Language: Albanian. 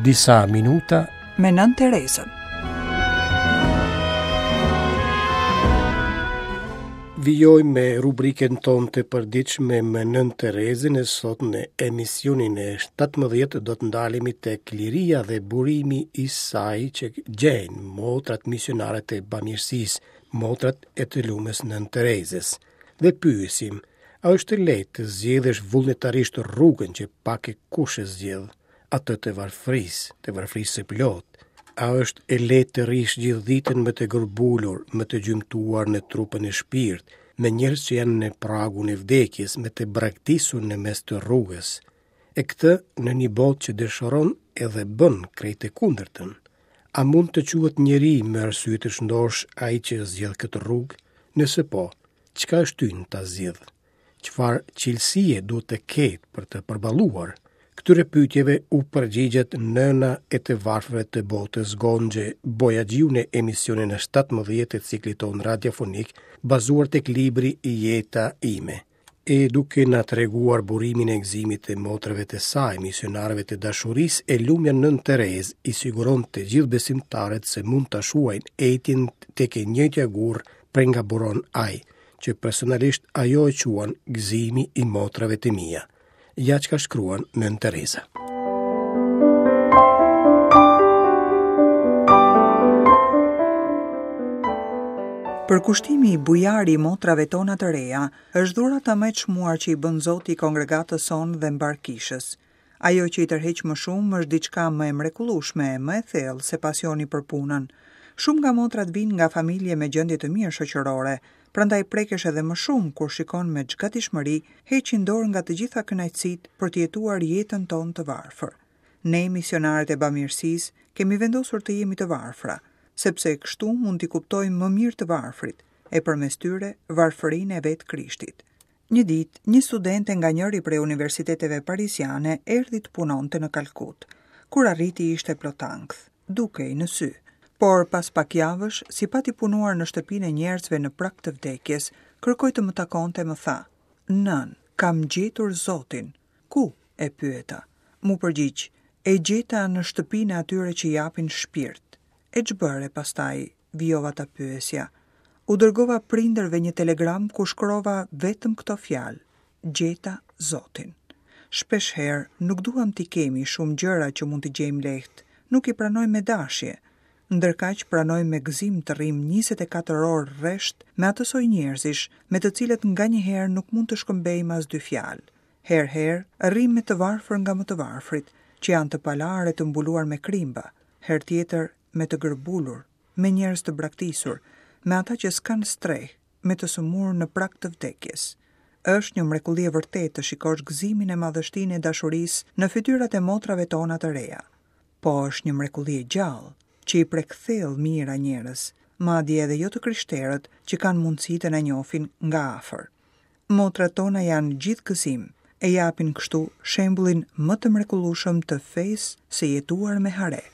Disa minuta me Nënë Terezën. Vijojmë me rubrikën tonë të përditshme me Nënë Terezën e sot në emisionin e 17 do të ndalemi tek liria dhe burimi i saj që gjejnë motrat misionare të bamirësisë, motrat e të lumës Nënë Terezës. Dhe pyesim, a është e lehtë të zgjedhësh vullnetarisht rrugën që pak e kush e zgjedh, atë të varfërisë, të varfërisë së plotë? A është e lehtë të rrish gjithë ditën me të gërbulur, me të gjymtuar në trup e në shpirt, me njerëz që janë në pragun e vdekjes, me të braktisur në mes të rrugës? E këtë në një botë që dëshiron edhe bën krejt të kundërtën. A mund të quhet njeri me arsye të shëndoshë ai që zgjedh këtë rrugë? Nëse po, çka e shtyn ta zgjedhë? Çfarë cilësie duhet të ketë për të përballuar? Këtyre pyetjeve u përgjigjet nëna e të varfërve të botës Gonxhe Bojaxhiu në emisionin e 17 të ciklit tonë radiofonik, bazuar tek libri Jeta ime. E duke na treguar burimin e gëzimit të motrave të saj, misionareve të dashurisë, e lumja Nënë Terezë i siguron të gjithë besimtarët se mund ta shuajnë etjen tek e njëjtja gurrë prej nga buron ai, që personalisht ajo e quan gëzimi i motrave të mia. Ja çka shkruan Nënë Tereza. Përkushtimi bujar i motrave tona të reja është dhurata më e çmuar që i bën Zoti kongregatës sonë dhe mbarë kishës. Ajo që i tërheq më shumë është diçka më e mrekullueshme e më e thellë se pasioni për punën. Shumë nga motrat vijnë nga familje me gjendje të mirë shoqërore, prandaj prekesh edhe më shumë kur shikon me ç'gatishmëri heqin dorë nga të gjitha kënaqësitë për të jetuar jetën tonë të varfër. Ne, misionarët e bamirësisë, kemi vendosur të jemi të varfra, sepse kështu mund t'i kuptojmë më mirë të varfrit, e përmes tyre varfërinë e vetë Krishtit. Një ditë, një studente nga njëri prej universiteteve parisiane erdhi të punonte në Kalkutë. Kur arriti ishte plot ankth, dukej në sy. Por pas pak javësh, si pati punuar në shtëpinë e njerëzve në prag të vdekjes, kërkoi të më takonte e më tha: "Nënë, kam gjetur Zotin." Ku? e pyeta. M'u përgjigj, E gjeta në shtëpinë e atyre që japin shpirt. E ç'bëre pastaj? vijova ta pyesja. U dërgova prindërve një telegram ku shkrova vetëm këto fjalë, Gjeta Zotin. Shpeshherë nuk duam t'i kemi shumë gjëra që mund t'i gjejmë lehtë, nuk i pranojmë me dashje. Ndërkaq pranojmë me gëzim të rrimë 24 orë rresht me atë soj njerëzish, me të cilët nganjëherë nuk mund të shkëmbejmë as dy fjalë. Herë-herë, rrimë me të varfër nga më të varfrit, që janë të palarë e të mbuluar me krimba, herë tjetër me të gërbulur, me njerëz të braktisur, me ata që s'kanë strehë, me të sëmurë në prag të vdekjes. Është një mrekulli e vërtetë të shikosh gëzimin e madhështinë e dashurisë në fytyrat e motrave tona të reja. Po është një mrekulli e gjallë, që i prek thellë mijëra njerëz, madje edhe jo të krishterët që kanë mundësi të na njohin nga afër. Motrat tona janë gjithë gëzim, e japin kështu shembullin më të mrekullueshëm të fesë së jetuar me hare.